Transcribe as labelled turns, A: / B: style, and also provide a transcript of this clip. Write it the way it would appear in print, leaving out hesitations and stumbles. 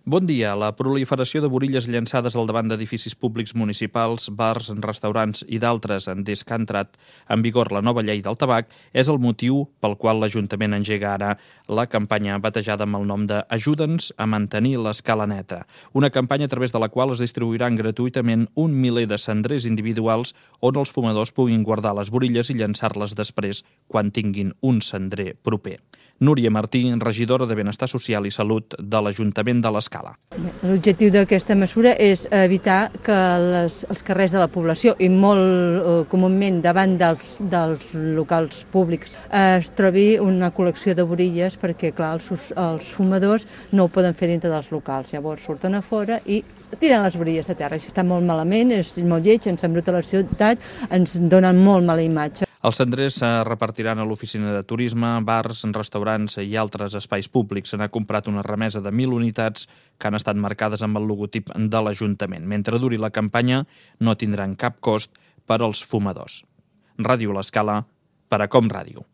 A: Bon dia. La proliferació de borilles llançades al davant d'edificis públics municipals, bars, restaurants i d'altres des que ha entrat en vigor la nova llei del tabac és el motiu pel qual l'Ajuntament engega ara la campanya batejada amb el nom de Ajuda'ns a mantenir l'escala neta. Una campanya a través de la qual es distribuiran gratuïtament 1 miler de cendrers individuals on els fumadors puguin guardar les borilles i llançar-les després quan tinguin un cendrer proper. Núria Martí, regidora de Benestar Social i Salut de l'Ajuntament de l'Escala.
B: L'objectiu d'aquesta mesura és evitar que els carrers de la població i molt comúment davant dels locals públics es trobi una col·lecció de borilles perquè, clar, els fumadors no ho poden fer dintre dels locals. Llavors surten a fora i tiren les borilles a terra. Això està molt malament, és molt lleig, ens embruta la ciutat, ens donen molt mala imatge.
A: Els cendrers es repartiran a l'oficina de turisme, bars, restaurants i altres espais públics. Se n'ha comprat una remesa de 1.000 unitats que han estat marcades amb el logotip de l'Ajuntament. Mentre duri la campanya, no tindran cap cost per als fumadors. Ràdio L'Escala, per a Com Ràdio.